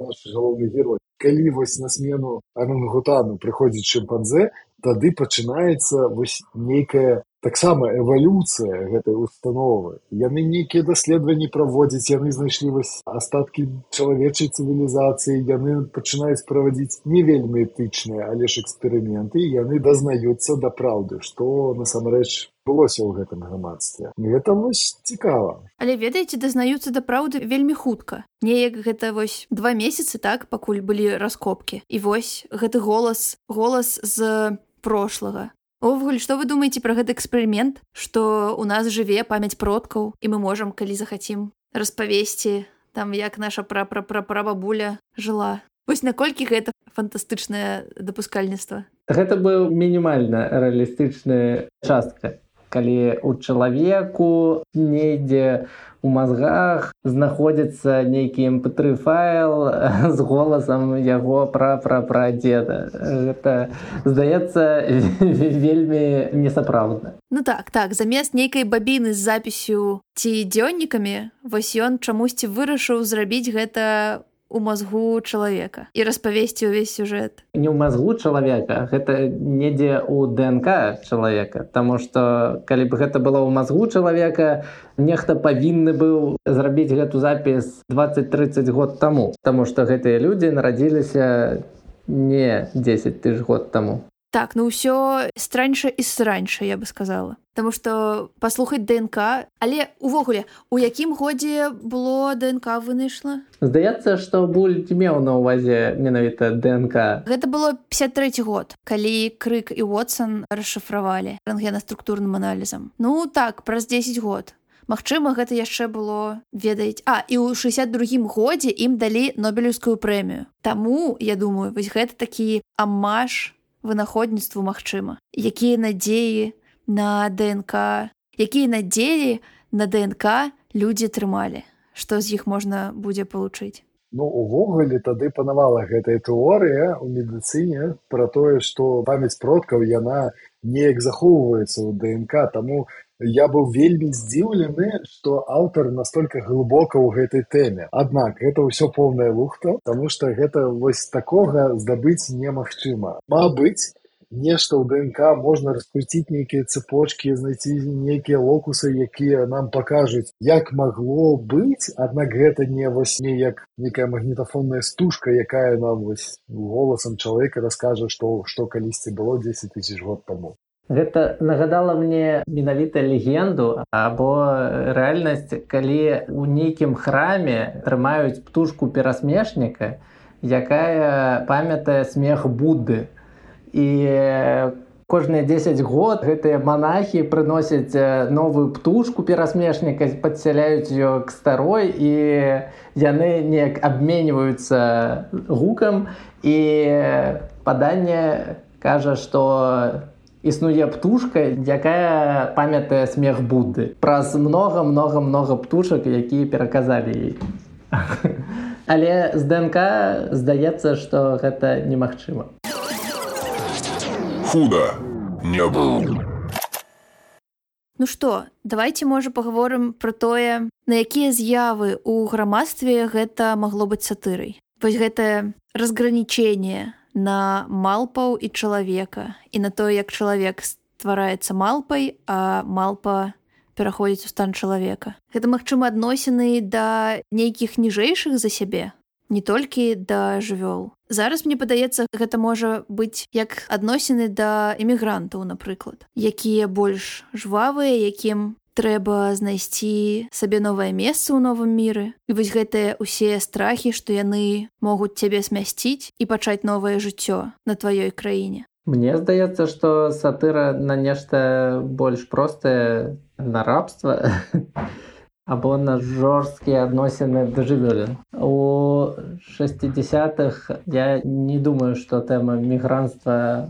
наш галоўны герой. Калі вось на смену арангутану прыходзіць шымпанзе, тады пачынаецца вось нейкая таксама эвалюцыя гэтай установы. Яны нейкія даследаванні праводзяць, яны знайшлі вось астаткі чалавечай цывілізацыі, яны пачынаюць праводзіць не вельмі этычныя, але ж эксперыменты, і яны дазнаюцца да праўды, што насамрэч былося ў гэтым грамадстве. І гэта вось цікава. Але ведаеце, дазнаюцца да праўды вельмі хутка. Неяк гэта вось 2 месяцы, так, пакуль былі раскопкі. І вось гэты голас з прошлага. Увогуле, што вы думаеце пра гэты эксперымент, што ў нас жыве памяць продкаў, і мы можам, калі захацім, распавесці, там, як наша прабабуля жыла. Вось наколькі гэта фантастычнае дапускальніцтва? Гэта быў мінімальна рэалістычная частка. Калі у чалавеку недзе у мазгах знаходзіцца нейкі mp3 файл з голасам яго прадзеда. Гэта, здаецца, вельмі несапраўдна. Ну так, замест нейкай бабіны з запісю ці дзённікамі, вось ён чамусьці вырашыў зрабіць гэта у мазгу чалавека і распавесці ўвесь сюжэт. Не ў мазгу чалавека, гэта недзе ў ДНК чалавека, таму што калі б гэта было ў мазгу чалавека, нехта павінны быў зрабіць гэту запіс 20-30 год таму, таму што гэтыя людзі нарадзіліся не 10 000 год таму. Так, ну ўсё страньша і сраньша, я бы сказала. Таму што паслухаць ДНК, але увогуле, у якім годзе было ДНК вынайшла? Здаецца, што Буль меў на ўвазе менавіта ДНК. Гэта было 53 год, калі Крык і Уотсон расшыфравалі рэнтгенаструктурным аналізам. Ну так, праз 10 год. Магчыма, гэта яшчэ было, ведаеце... і ў 62-м годзе ім далі Нобелеўскую прэмію. Таму, я думаю, вось гэта такі амаж вынаходніцтву магчыма. Якія надзеі на ДНК, якія надзеі на ДНК людзі трымалі, што з іх можна будзе палучыць. Ну, увогуле тады панавала гэтая тэорыя ў медыцыне пра тое, што памяць продкаў, яна неяк захоўваецца ў ДНК, таму я быў вельмі здзіўлены, што аўтар настолькі глыбока ў гэтай тэме. Аднак, гэта ўсё поўная лухта, таму што гэта вось такога здабыць немагчыма. Мабыць, нешта ў ДНК можна раскруціць нейкія цепочкі, знайсці нейкія локусы, якія нам пакажуць, як магло быць, аднак гэта не вось неяк нейкая магнітафонная стужка, якая нам вось голасам чалавека раскажа, што калісьці было 10 000 год таму. Гэта нагадала мне менавіта легенду або рэальнасць, калі ў нейкім храме трымаюць птушку перасмешніка, якая памятае смех Будды. І кожныя 10 год гэтыя манахі прыносяць новую птушку перасмешніка, падсяляюць ее к старой, і яны неяк абменьваюцца гукам, і паданне кажа, што існуе птушка, якая памятае смех Будды. Праз много птушак, якія пераказалі ей. Але з ДНК здаецца, што гэта немагчыма. Худо не было. Ну што, давайте, можа, пагаворым пра тое, на якія з'явы ў грамадстве гэта магло быць сатырай. Вось гэтае разгранічэнне на малпаў і чалавека, і на тое, як чалавек ствараецца малпай, а малпа пераходзіць у стан чалавека. Гэта, магчыма, адносіны да нейкіх ніжэйшых за сябе, не толькі да жывёл. Зараз, мне падаецца, гэта можа быць як адносіны да эмігрантаў, напрыклад, якія больш жвавыя, якім трэба знайсці сабе новае месца ў новым міры. І вось гэтыя ўсе страхі, што яны могуць цябе смясціць і пачаць новае жыццё на тваёй краіне. Мне здаецца, што сатыра на нешта больш простае, на рабства або на жорсткія адносіны да жывёлін. У 60-х я не думаю, што тэма мігрантства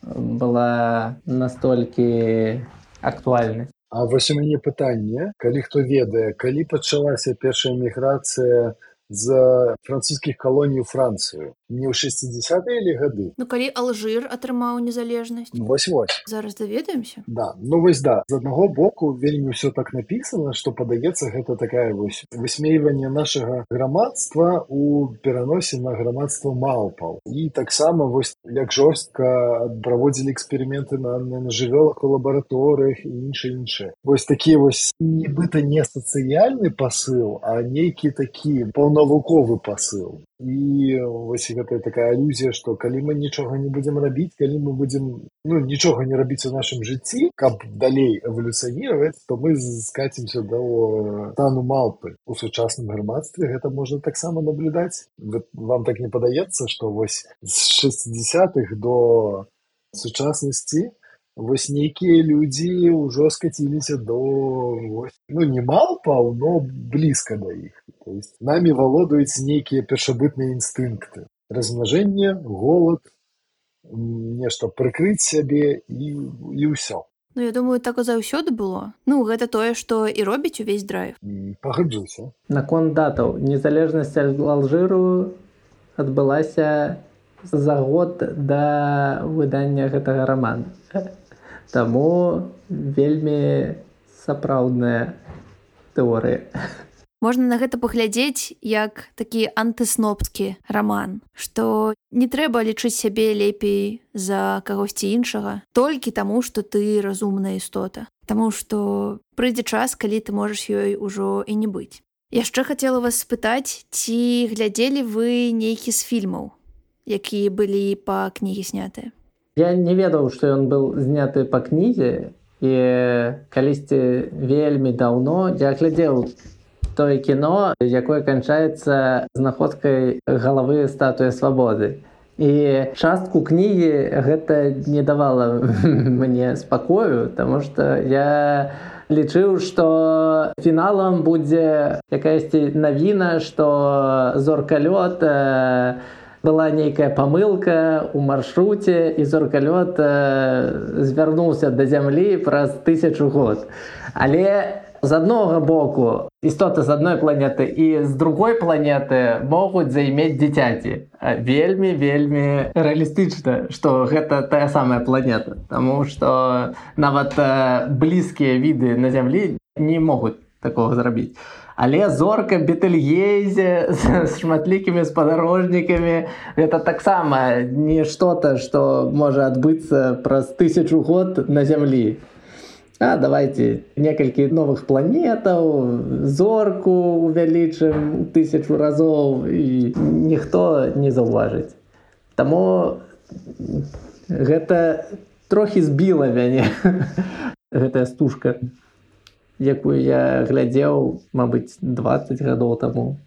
была настолькі актуальнай. А вось у мяне пытанне, калі хто ведае, калі пачалася першая міграцыя з французскіх калоній у Францыю? Не ў 60-е или гады? Ну, калі Алжир атрымаў незалежнасць. Вось-вось. Зараз даведаемся? Да. Ну, вось да. З аднаго боку, вельмі ўсё так напісана, што, падаецца, гэта такая вось высмейванне нашага грамадства ў пераносе на грамадства малпаў. І таксама вось як жорстка праводзілі эксперыменты на жывёлах у лабараторыях і іншае. Вось такі вось нібыта не сацыяльны пасыл, а нейкі такі паўнавуковы пасыл. І вось гэта такая алюзія, што калі мы нічога не будзем рабіць, калі мы будзем нічога не рабіць у нашым жыцці, каб далей эвалюцыянировать, то мы скацімся до стану малпы. У сучасным грамадстве гэта можна таксама наблюдаць. Вам так не падаецца, што вось з 60-х до сучаснасці вось нейкія людзі ўжо скаціліся до не малпаў, но блізка да іх. То есть нами валодаюць нейкія першабытныя інстынкты. Размнажэнне, голад, нешта прыкрыць сябе і ўсё. Ну, я думаю, так і заўсёды было. Ну, гэта тое, што і робіць увесь драйв. Пагаджуся. Наконт датаў. Незалежнасць Алжыру адбылася за год да выдання гэтага рамана. Таму вельмі сапраўдная тэорыя. Можна на гэта паглядзець як такі антыснопскі раман, што не трэба лічыць сябе лепей за кагосьці іншага толькі таму, што ты разумная істота. Таму што прыйдзе час, калі ты можаш ёй ужо і не быць. Яшчэ хацела вас спытаць, ці глядзелі вы нейкі з фільмаў, якія былі па кнігі снятыя? Я не ведаў, што ён быў зняты па кнізе, і калісьці вельмі даўно я глядзеў тое кіно, якое канчаецца знаходкай галавы статуі свабоды. І частку кнігі гэта не давала мне спакою, таму што я лічыў, што фіналам будзе якаясьці навіна, што зоркалёт была нейкая памылка ў маршруце, і зоркалёт звярнуўся да зямлі праз 1000 год. Але з аднога боку істоты з адной планеты і з другой планеты могуць займець дзіцяці. Вельмі рэалістычна, што гэта тая самая планета. Таму што нават блізкія віды на зямлі не могуць такога зрабіць. Але зорка Бетельгейзе з шматлікімі спадарожнікамі гэта таксама не што-то, што можа адбыцца праз 1000 год на зямлі. А давайте некалькі новых планетаў, зорку увялічым 1000 разоў, і ніхто не заўважыць. Таму гэта трохі збіла мяне, гэтая стужка, якую я глядзеў, мабыць, 20 гадоў таму,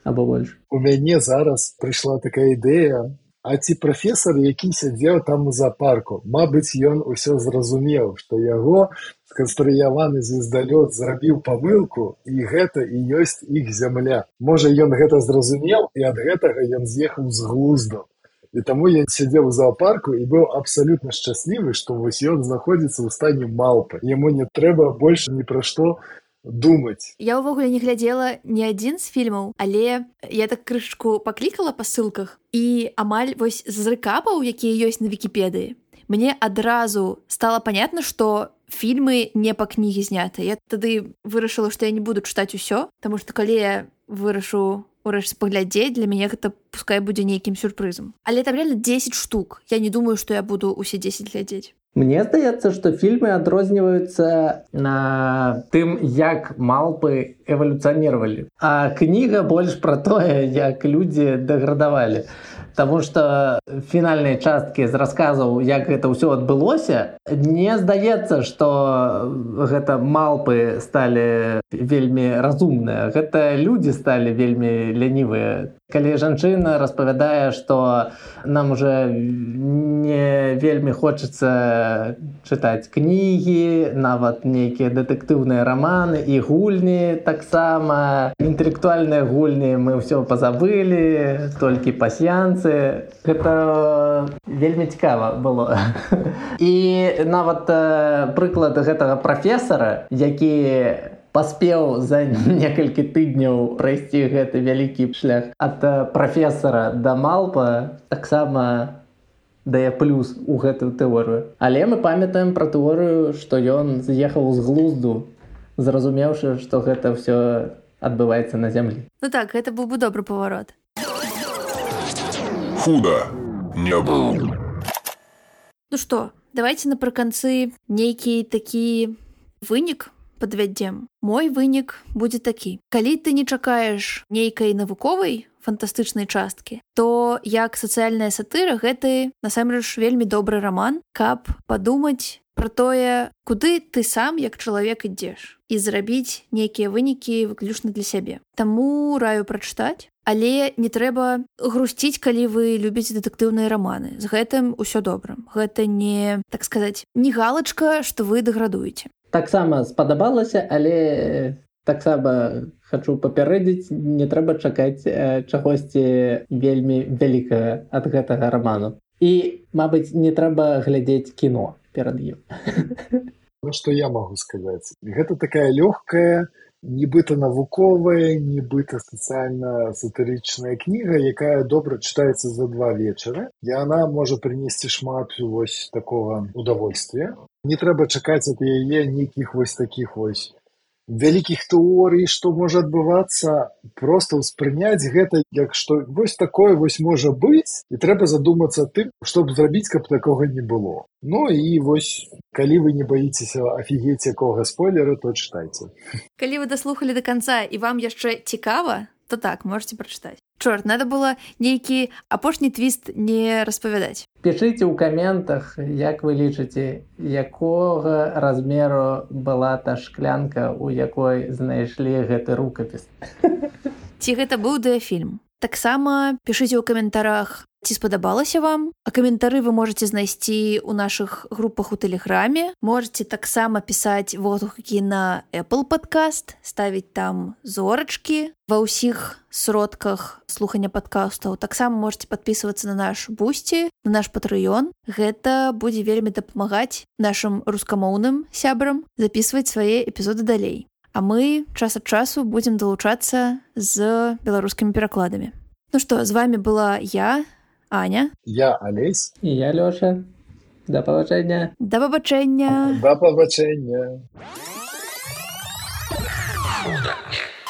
або больш. У мяне зараз прыйшла такая ідэя, а ці прафесар, які сядзеў там у зоапарку, мабыць, ён усё зразумеў, што яго сканструяваны звездалёт зрабіў памылку, і гэта і ёсць іх зямля. Можа, ён гэта зразумеў, і ад гэтага ён з'ехаў з глузду. І таму я сядзеў у зоапарку і быў абсалютна шчаслівы, што вось ён знаходзіцца ў стане малпы. Яму не трэба больш ні пра што думаць. Я ўвогуле не глядзела ні адзін з фільмаў, але я так крышку паклікала па ссылках, і амаль вось з рэкапаў, якія ёсць на Вікіпедыі, мне адразу стала понятна, што фільмы не па кнігі зняты. Я тады вырашыла, што я не буду чытаць усё, таму што калі я вырашу урэшце паглядзець, для мяне гэта пускай будзе нейкім сюрпрызам. Але там реально 10 штук. Я не думаю, што я буду усе 10 глядзець. Мне здаецца, што фільмы адрозніваюцца на тым, як малпы эвалюцыянировали. А кніга больш пра тое, як людзі дэградавалі. Таму што фінальныя часткі з расказаў, як гэта ўсё адбылося, не здаецца, што гэта малпы сталі вельмі разумныя. Гэта людзі сталі вельмі лянівыя. Калі жанчына распавядае, што нам уже не вельмі хочацца чытаць кнігі, нават нейкія дэтэктыўныя раманы і гульні таксама. Інтэлектуальныя гульні мы ўсё пазабылі, толькі пасьянцы. Гэта вельмі цікава было. І нават прыклад гэтага прафесара, які паспеў за некалькі тыдняў прайсці гэты вялікі шлях ад прафесара да малпа, таксама дае плюс у гэтую тэорыю. Але мы памятаем пра тэорыю, што ён з'ехаў з глузду, зразумеўшы, што гэта ўсё адбываецца на зямлі. Ну так, гэта быў бы добры паварот. Худо не был. Ну што, давайте напрыканцы нейкі такі вынік падвядзем. Мой вынік будзе такі. Калі ты не чакаеш нейкай навуковай фантастычнай часткі, то як сацыяльная сатыра гэты насамрэч вельмі добры раман, каб падумаць пра тое, куды ты сам як чалавек ідзеш і зрабіць нейкія вынікі выключна для сябе. Таму раю прачытаць, але не трэба грусціць, калі вы любіце дэтэктыўныя раманы. З гэтым усё добра. Гэта не, так сказаць, не галачка, што вы дэградуеце. Таксама спадабалася, але таксама хачу папярэдзіць, не трэба чакаць чагосьці вельмі вялікага ад гэтага раману. І, мабыць, не трэба глядзець кіно перад ім. Ну, што я магу сказаць? Гэта такая лёгкая, нібыта навуковая, нібыта сацыяльна-сатырычная кніга, якая добра чытаецца за 2 вечары. І яна можа прынесці шмат вось такога удовольствия. Не трэба чакаць ад яе нейкіх вось такіх вось вялікіх тэорый, што можа адбывацца. Проста ўспрыняць гэта як што вось такое вось можа быць, і трэба задумацца тым, што б зрабіць, каб такога не было. Ну і вось, калі вы не баіцеся афігець якога спойлера, то чытайце. Калі вы даслухалі да канца і вам яшчэ цікава, то так, можете прачытаць. Чорт, надо было нейкі апошні твіст не распавядаць. Пішыце ў каментах, як вы лічыце, якога размеру была та шклянка, у якой знайшлі гэты рукапіс. Ці гэта быў дыяфільм? Таксама пішыце ў каментарах, ці спадабалася вам. А каментары вы можете знайсці ў нашых групах у Тэлеграме. Можете таксама пісаць водгукі на Apple Podcast, ставіць там зорачкі ва ўсіх сродках слухання падкастаў. Таксама можете падпісвацца на наш Бусці, на наш Patreon. Гэта будзе вельмі дапамагаць нашым рускамоўным сябрам запісваць свае эпізоды далей. А мы час ад часу будзем далучацца з беларускімі перакладамі. Ну што, з вами была я, Аня. Я Алесь. І я Лёша. Да пабачэння. Да пабачэння. Да пабачэння. Худо не